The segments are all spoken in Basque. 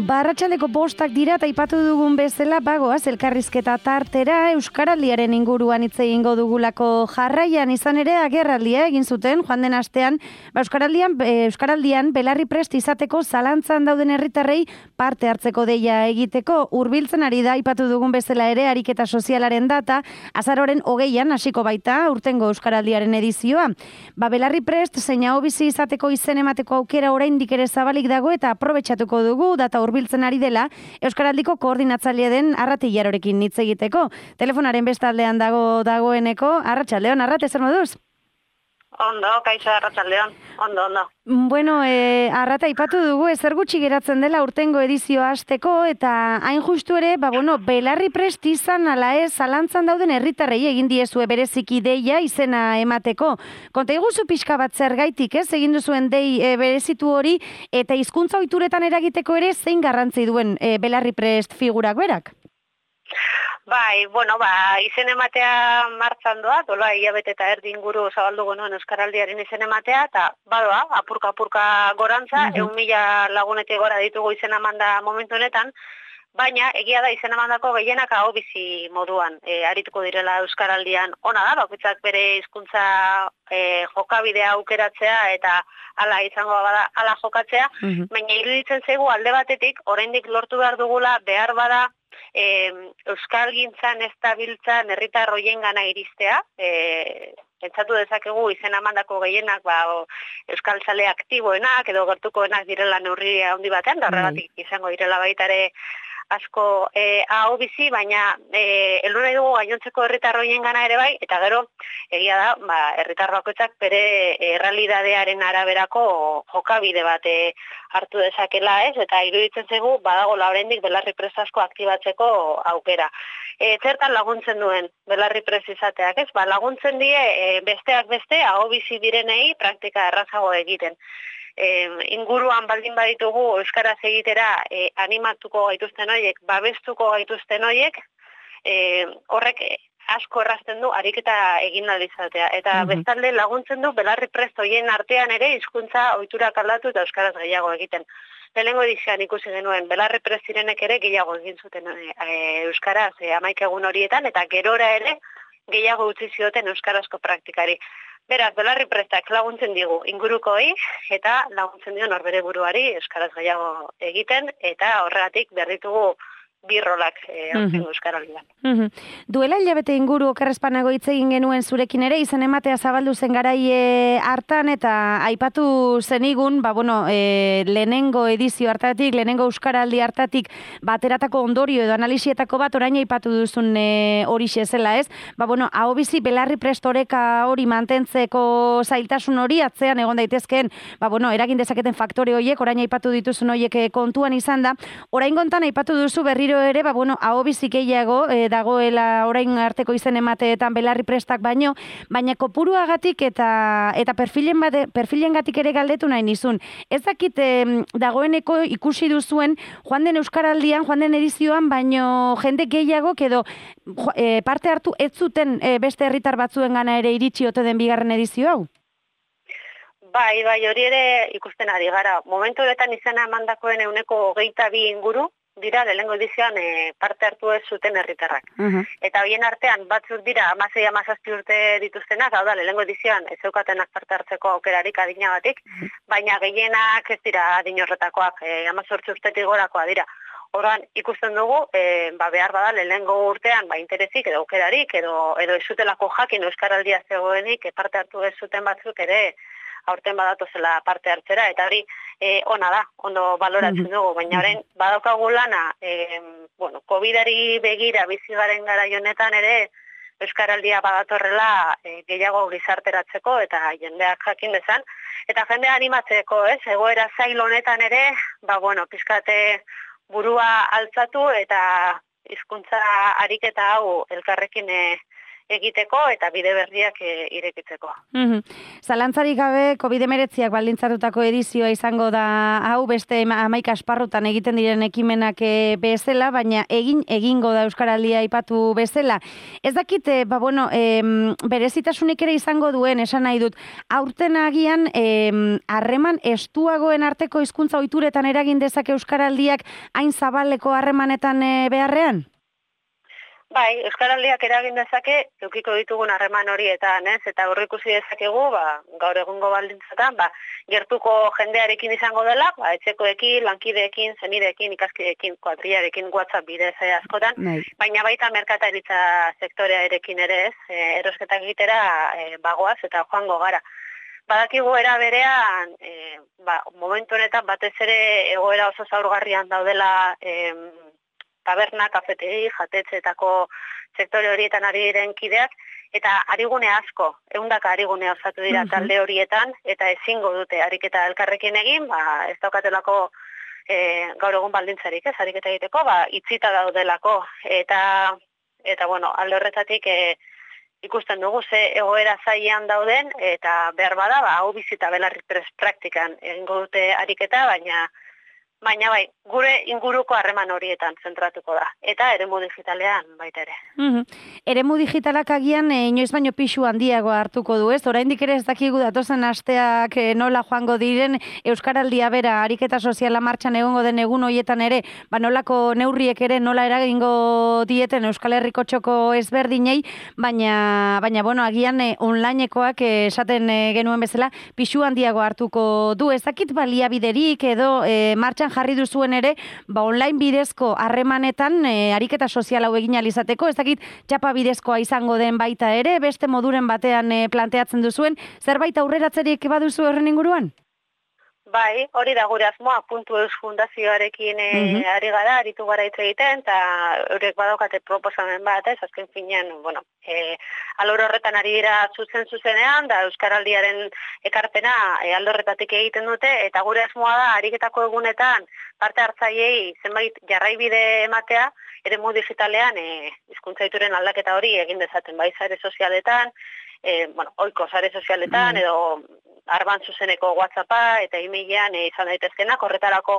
Arratsaldeko 5 dira eta aipatu dugun bezala bagoaz elkarrizketa tartera Euskaraldiaren inguruan hitz egingo dugulako jarraian izan ere agerraldia egin zuten joan den astean Euskaraldian belarri prest izateko zalantzan dauden herritarrei parte hartzeko deia egiteko hurbiltzen ari da aipatu dugun bezala ere ariketa sozialaren data azaroaren 20an hasiko baita urtengo Euskaraldiaren edizioa. Belarri prest zein ahobizi izateko izen emateko aukera oraindik ere zabalik dago eta aprobetxatuko dugu data hurbiltzen ari dela Euskaraldiko koordinatzaile den Arrate Ilarorekin hitz egiteko. Telefonaren bestaldean dagoeneko Arratsaldeon, Arrate, zer moduz? Ondo, kaixo Arratsaldeon. Ondo. Bueno, Arrate aipatu dugu ezer gutxi geratzen dela urtengo edizioa hasteko eta hain justu ere, belarri prest izan ala ez zalantzan dauden herritarrei egin diezue bereziki deia izena emateko. Konta iguzu pixka bat zergaitik, egin duzuen dei berezitu hori eta hizkuntza ohituretan eragiteko ere zein garrantzi duen belarri prest figurak berak? Bai, izen ematea martxan doa, dola hilabete eta erdi inguru zabaldu genuen Euskaraldiaren izen ematea, eta badoa, apurka gorantza, 1.000 lagunetik gora ditugu izen emanda momentu honetan, baina egia da izen emandako gehienak ahobizi moduan arituko direla Euskaraldian. Ona da, bakoitzak bere hizkuntza jokabidea aukeratzea eta hala izango bada hala jokatzea, baina iruditzen zaigu alde batetik, oraindik lortu behar dugula, behar bada, euskalgintzan ez dabiltzan herritar hoiengana iristea, pentsatu dezakegu izen emandako gehienak euskaltzale aktiboenak edo gertukoenak direla neurri handi batean, da horregatik izango direla baita ere asko ahobizi, baina heldu nahi dugu gainontzeko herritar hoiengana ere bai, eta gero egia da, herritar bakoitzak bere errealitatearen araberako jokabide bat hartu dezakela ez, eta iruditzen zaigu badagoela oraindik belarri prest asko aktibatzeko aukera. Zertan laguntzen duen belarri prest izateak ez? Laguntzen die besteak beste ahobizi direnei praktika errazago egiten. Inguruan baldin baditugu euskaraz egitera animatuko gaituzten horiek, babestuko gaituzten horiek, horrek asko errazten du ariketa egin izatea. Eta bestalde laguntzen du belarri prest horien artean ere hizkuntza ohiturak aldatu eta euskaraz gehiago egiten. Lehenengo edizioan ikusi genuen belarri prest zirenek ere gehiago egin zuten euskaraz 11 egun horietan, eta gerora ere gehiago utzi zioten euskarazko praktikari. Beraz, belarri prestak laguntzen digu ingurukoei eta laguntzen dio norbere buruari euskaraz gehiago egiten eta horregatik berritugu birrolak Euskaraldian. Duela hilabete inguru okerrezpanago hitz egin genuen zurekin ere, izan ematea zabaldu zen garai hartan eta aipatu zenigun, lehenengo edizio hartatik, lehenengo Euskaraldi hartatik bateratako ondorio edo analisietako bat orain aipatu duzun horixe zela ez. Ahobizi belarri prest oreka hori mantentzeko zailtasun hori atzean egon daitezkeen, eragin dezaketen faktore horiek, orain aipatu dituzun horiek kontuan izan da. Orain gontan aipatu duzu berriro ere, ahobizi gehiago dagoela orain arteko izen emateetan belarri prestak baina kopuruagatik eta perfilengatik ere galdetu nahi nizun. Ez dakit dagoeneko ikusi duzuen joan den Euskaraldian, joan den edizioan, baino jende gehiago edo parte hartu ez zuten beste herritar batzuengana ere iritsi ote den bigarren edizio hau? Bai, hori ere ikusten ari gara. Momentu honetan izena emandakoen 22 inguru, dira lehenengo edizioan parte hartu ez zuten herritarrak. Eta horien artean batzuk dira 16-17 urte dituztenak, hau da, lehenengo edizioan ez zeukatenak parte hartzeko aukerarik adinagatik, baina gehienak ez dira adin horretakoak, 18 urtetik gorakoa dira. Horan ikusten dugu, behar bada lehenengo urtean interesik edo aukerarik edo ez zutelako jakin Euskaraldia zegoenik parte hartu ez zuten batzuk ere aurten badatozela parte hartzera, eta hori ona da, ondo baloratzen dugu, baina orain badaukagu lana, COVID-ari begira bizi garen garai honetan ere Euskaraldia badatorrela gehiago gizarteratzeko eta jendeak jakin dezan, eta jendea animatzeko, egoera zail honetan ere, pizkate burua altzatu eta hizkuntza ariketa hau elkarrekin egiteko eta bide berriak irekitzeko. Zalantzarik gabe, COVID-19 baldintzatutako edizioa izango da hau, beste 11 esparrutan egiten diren ekimenak bezala, baina egingo da Euskaraldia aipatu bezala. Ez dakit, berezitasunik ere izango duen, esan nahi dut, aurten agian harreman estuagoen arteko hizkuntza ohituretan eragin dezake Euskaraldiak hain zabaleko harremanetan beharrean? Bai, Euskaraldiak eragin dezake, edukiko ditugun harreman horietan, ez? Eta aurreikusi dezakegu, gaur egungo baldintzatan, gertuko jendearekin izango dela, etxekoekin, lankideekin, zenideekin, ikaskideekin, kuadriarekin, WhatsApp bidez askotan, baina baita merkataritza sektorearekin ere, ez? Erosketak egitera bagoaz eta joango gara. Badakigu era berean, momentu honetan batez ere egoera oso zaurgarrian daudela taberna, kafetegi, jatetxeetako sektore horietan ari diren kideak, eta arigune asko, 100 arigune osatu dira talde horietan, eta ezingo dute ariketa elkarrekin egin, ez daukatelako gaur egun baldintzarik, ez ariketa egiteko, itzita daudelako, eta alde horretatik ikusten dugu ze egoera zailean dauden, eta behar bada, hau bizita belarri praktikan egingo dute ariketa, baina bai, gure inguruko harreman horietan zentratuko da. Eta eremu digitalean baita ere. Eremu digitalak agian inoiz baino pisu handiago hartuko du, ez? Oraindik ere ez dakigu datozen asteak nola joango diren Euskaraldia bera ariketa soziala martxan egongo den egun horietan ere, nolako neurriek ere nola eragingo dieten Euskal Herriko txoko ezberdinei, baina agian onlinekoak esaten genuen bezala pisu handiago hartuko du. Ez dakit baliabiderik edo martxan jarri duzuen ere, online bidezko harremanetan ariketa sozial hau egin ahal izateko, ez dakit txapa bidezkoa izango den baita ere, beste moduren batean planteatzen duzuen, zerbait aurreratzerik baduzu horren inguruan? Bai, hori da gure asmoa, .eus fundazioarekin ari gara, aritu gara hitz egiten, eta eurek badaukate proposamen bat, ez, azken finean, alor horretan ari dira zuzenean, da Euskaraldiaren ekarpena alde horretatik egiten dute, eta gure asmoa da, ariketako egunetan, parte hartzaileei zenbait jarraibide ematea, eremu digitalean, hizkuntza ohituren aldaketa hori egin dezaten, bai sare sozialetan, ohiko sare sozialetan, edo arban zuzeneko WhatsAppa eta e-mailean izan daitezkenak, horretarako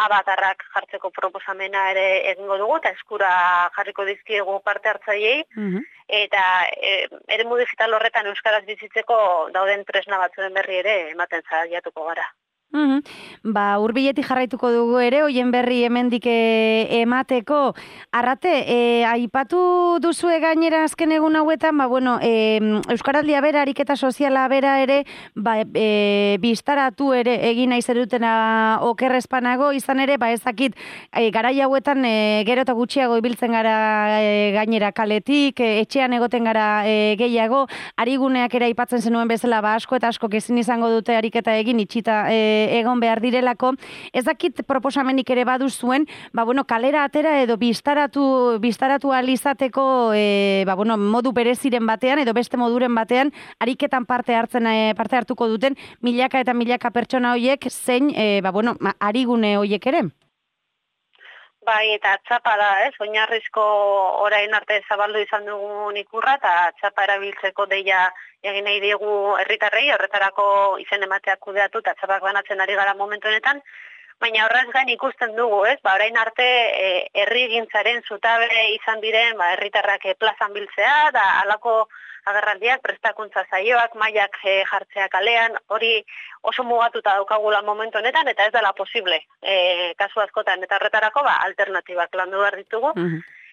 abatarrak jartzeko proposamena ere egingo dugu, eta eskura jarriko dizkiegu parte hartzaileei, eta eremu digital horretan euskaraz bizitzeko dauden tresna batzuen berri ere ematen saiatuko gara. Hurbiletik jarraituko dugu ere, hoien berri hemendik emateko. Arrate, aipatu duzue gainera azken egun hauetan, Euskaraldia bera, ariketa soziala bera ere, biztaratu ere egin nahi zerutena okerrezpanago, izan ere, ezakit, garai hauetan gero eta gutxiago ibiltzen gara gainera kaletik, etxean egoten gara gehiago, ariguneak ere aipatzen zenuen bezala, asko eta asko ezin izango dute ariketa egin itxita egon behar direlako. Ez dakit proposamenik ere baduzuen, kalera atera edo biztaratu alizateko modu bereziren batean edo beste moduren batean ariketan parte hartuko duten milaka eta milaka pertsona horiek zein arigune horiek ere. Bai, eta txapa da, ez? Oinarrizko orain arte zabaldu izan dugun ikurra, eta txapa erabiltzeko deia egin nahi diegu herritarrei, horretarako izen emateak kudeatu, eta txapak banatzen ari gara momentu honetan, baina horrez gain ikusten dugu, ez? Orain arte herrigintzaren zutabe izan diren, herritarrak plazan biltzea, da halako agerraldiak, prestakuntza saioak, mailak jartzea kalean, hori oso mugatuta daukagula momentu honetan, eta ez dela posible kasu askotan, eta horretarako alternatibak landu behar ditugu.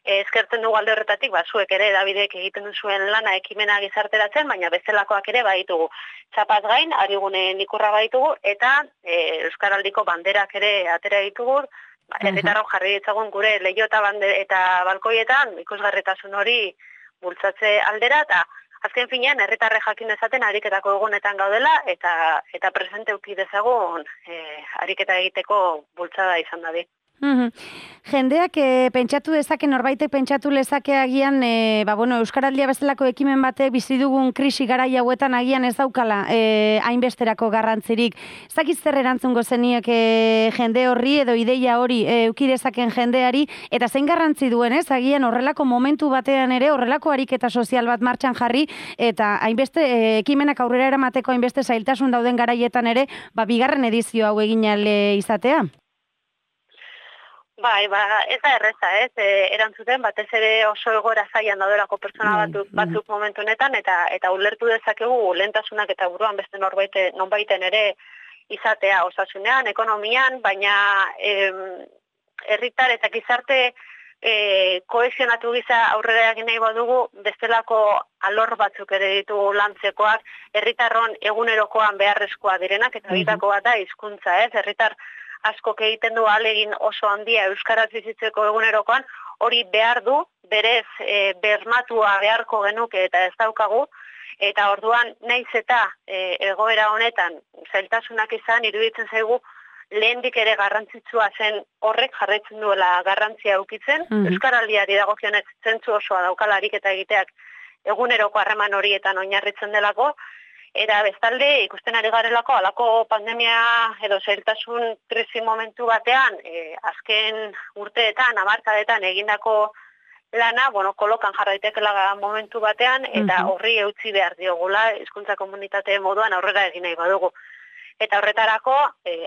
Eskertzen dugu alde horretatik, zuek ere Davidek egiten duzuen lana ekimena gizarteratzen, baina bestelakoak ere baditugu. Txapaz gain, arigunen ikurra baditugu, eta Euskaraldiko banderak ere atera ditugu, herritarrok jarri ditzagun gure leiho eta balkoietan, ikusgarritasun hori bultzatze aldera, eta azken finean herritarrek jakin dezaten ariketako egunetan gaudela, eta presente uki dezagun ariketa egiteko bultzada izan dadi. Jendeak pentsatu dezake, norbaitek pentsatu lezake agian, Euskaraldia bezalako ekimen batek bizi dugun krisi garai hauetan agian ez daukala hainbesterako garrantzirik. Ez dakit zer erantzungo zeniek jende horri edo ideia hori eduki dezaken jendeari, eta zein garrantzi duen, ez? Agian horrelako momentu batean ere, horrelako ariketa sozial bat martxan jarri, eta hainbeste ekimenak aurrera eramateko hainbeste zailtasun dauden garaietan ere, bigarren edizio hau egin ahal izatea. Bai, ez da erreza, ez? Erantzuten, batez ere oso egoera zailan daudelako pertsona batzuk momentu honetan, eta ulertu dezakegu lehentasunak eta buruan beste nonbaiten ere izatea osasunean, ekonomian, baina herritar eta gizarte kohesionatu giza aurrera egin nahi badugu, bestelako alor batzuk ere ditugu lantzekoak, herritarron egunerokoan beharrezkoa direnak, eta bitako bat da hizkuntza, ez? Herritar askok egiten du ahalegin oso handia euskaraz bizitzeko egunerokoan, hori behar du, berez bermatua beharko genuke eta ez daukagu, eta orduan naiz eta egoera honetan zailtasunak izan, iruditzen zaigu lehendik ere garrantzitsua zen horrek jarraitzen duela garrantzia ukitzen, euskaraldiari dagokionez zentzu osoa daukalarik eta egiteak eguneroko harreman horietan oinarritzen delako, eta bestalde ikusten ari garelako alako pandemia edo zailtasun krisi momentu batean, azken urteetan, hamarkadetan egindako lana, kolokan jarraitekela momentu batean, eta horri eutzi behar diogula hizkuntza komunitate moduan aurrera egin nahi badugu. Eta horretarako,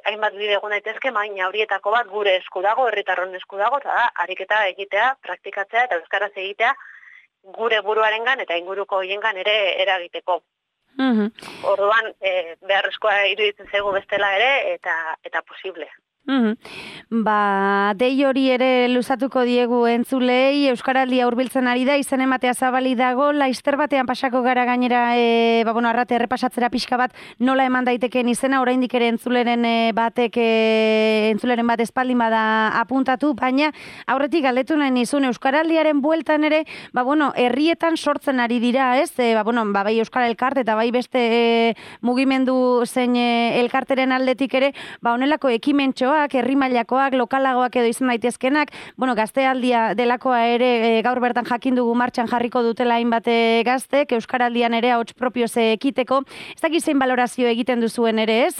hainbat bide egon daitezke, baina horietako bat gure esku dago, herritarron esku dago, eta da, ariketa egitea, praktikatzea eta euskaraz egitea gure buruarengan eta inguruko hoiengan ere eragiteko. Orduan, beharrezkoa iruditzen zaigu bestela ere, eta posible. Dei hori ere luzatuko diegu entzulei, Euskaraldia hurbiltzen ari da, izen ematea zabali dago, laizter batean pasako gara gainera, arrate errepasatzera pixka bat, nola eman daiteken izena, oraindik ere entzuleren bat espaldin bada apuntatu, baina aurretik galdetu nahi nizun, Euskaraldiaren bueltan ere, herrietan sortzen ari dira, ez? Bai Euskara Elkarte eta bai beste mugimendu zein elkarteren aldetik ere, honelako ekimentxoa, herri mailakoak, lokalagoak edo izan daitezkenak, gaztealdia delakoa ere gaur bertan jakin dugu martxan jarriko dutela hainbat gaztek, Euskaraldian ere ahots propioz ekiteko. Ez dakit zein balorazio egiten duzuen ere, ez?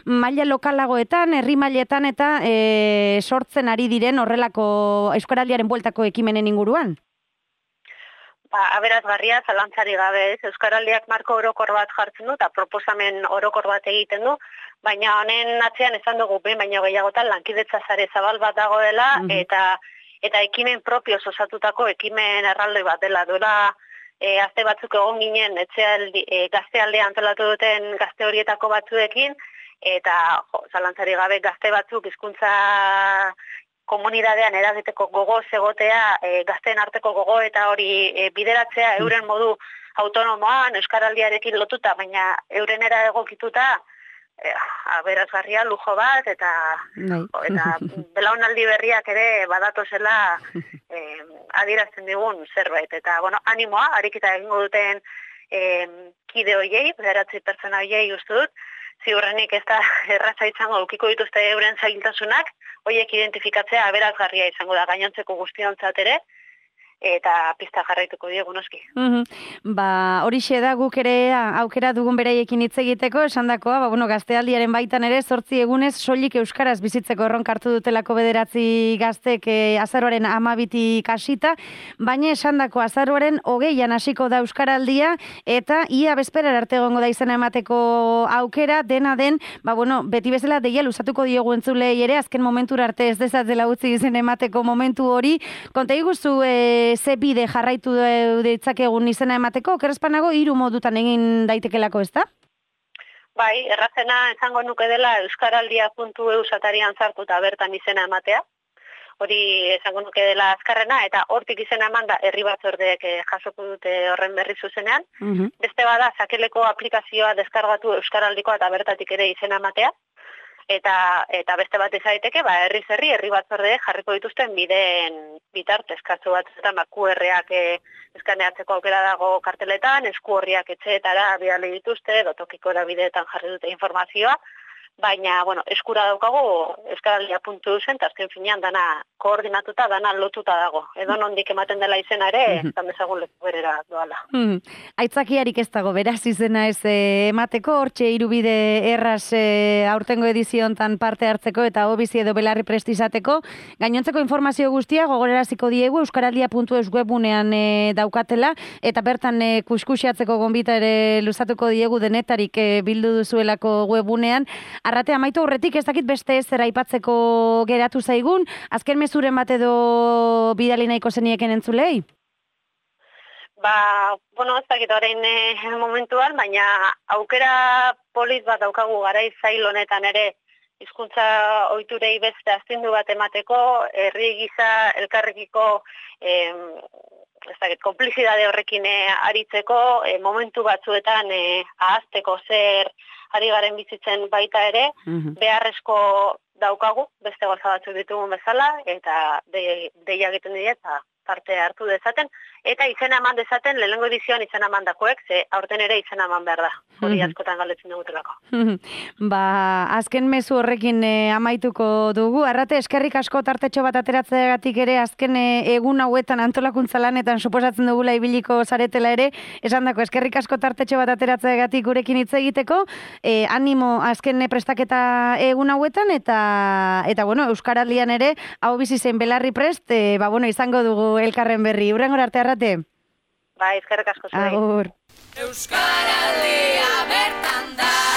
Maila lokalagoetan, herri mailetan eta sortzen ari diren horrelako Euskaraldiaren bueltako ekimenen inguruan? Aberazgarria, zalantzari gabe, ez? Euskaraldiak marko orokor bat jartzen du, eta proposamen orokor bat egiten du, baina honen atzean esan dugu, baina gehiagotan lankidetza sare zabal bat dagoela, eta ekimen propioz osatutako ekimen erraldoi bat dela. Duela, aste batzuk egon ginen, gaztealdea antolatu duten gazte horietako batzuekin, eta zalantzari gabe gazte batzuk hizkuntza komunidadean eragiteko gogo egotea, gazteen arteko gogo eta hori bideratzea euren modu autonomoan, euskaraldiarekin lotuta, baina eurenera egokituta, aberazgarria lujo bat, eta belaunaldi berriak ere badatozela adierazten digun zerbait. Eta, animoa, ariketa egingo duten kide hoiei, 9 pertsona hoiei uste dut, ziurrenik ez da erraza izango ukiko dituzte euren zailtasunak, horiek identifikatzea aberazgarria izango da gainontzeko guztiontzat ere, eta pista jarraituko diegu noski. Horixe da guk ere aukera dugun beraiekin hitz egiteko, esandakoa, gaztealdiaren baitan ere 8 egunez soilik euskaraz bizitzeko erronka hartu dutelako 9 gaztek azaroaren 12 hasita, baina esandako azaroaren 20an hasiko da euskaraldia, eta ia bezperar arte egongo da izena emateko aukera, dena den, beti bezala deia luzatuko diogu entzulei ere, azken momentura arte ez dezatzela utzi izena emateko momentu hori. Konta iguzu ze bide jarraitu ditzakegun izena emateko, okerrezpanago 3 modutan egin daitekelako, ez da? Bai, errazena esango nuke dela euskaraldia.eu satarian sartu eta bertan izena ematea. Hori esango nuke dela azkarrena, eta hortik izena eman da herri batzordeek jasoko dute horren berri zuzenean. Beste bada, sakeleko aplikazioa deskargatu euskaraldikoa eta bertatik ere izena ematea. Eta beste bat izaiteke, herri batzordeek jarriko dituzten bideen bitartez, kasu batzuetan QR-ak eskaneatzeko aukera dago karteletan, esku horriak etxeetara bidali dituzte, edo tokiko erabideetan jarri dute informazioa, baina, bueno, eskura daukagu euskaraldia.eusen, eta azken finean dana koordinatuta, dana lotuta dago. Edo nondik ematen dela izena ere, zan dezagun leku berera doala. Aitzakiarik ez dago, beraz izena ez emateko, hortxe irubide erraz aurtengo ediziontan parte hartzeko eta hobizi edo belarri prestizateko. Gainontzeko informazio guztia gogoraraziko diegu euskaraldia.eus webunean daukatela, eta bertan kuskusiatzeko gonbita ere luzatuko diegu denetarik bildu duzuelako webunean. Arrate, amaitu horretik ez dakit beste ez aipatzeko geratu zaigun, azken mezuren bat edo bidali nahiko zenieken entzulei? Bueno, ez dakit orain momentuan, baina aukera polit bat daukagu garai zail honetan ere hizkuntza ohiturei beste astindu bat emateko, herri gisa elkarrekiko konplizidade horrekin aritzeko, momentu batzuetan ahazteko zer ari garen bizitzen baita ere, beharrezko daukagu, beste gauza batzuk ditugun bezala, eta deia egiten dira eta parte hartu dezaten, eta izena eman dezaten, lehenengo edizioan izena eman dakoek, ze aurten ere izena eman behar da, hori askotan galdetzen dugutelako. Azken mezu horrekin amaituko dugu, Arrate, eskerrik asko tartetxo bat ateratzeagatik ere, azken egun hauetan antolakuntza lanetan suposatzen dugula ibiliko zaretela ere, esan dako, eskerrik asko tartetxo bat ateratzeagatik gurekin hitz egiteko, animo azken prestaketa egun hauetan, eta bueno, Euskaraldian ere, hau bizi zen belarri prest, izango dugu elkarren berri. Hurrengora arte, Arrate. Eskerrik asko zuei. Agur. Euskaraldia bertan da.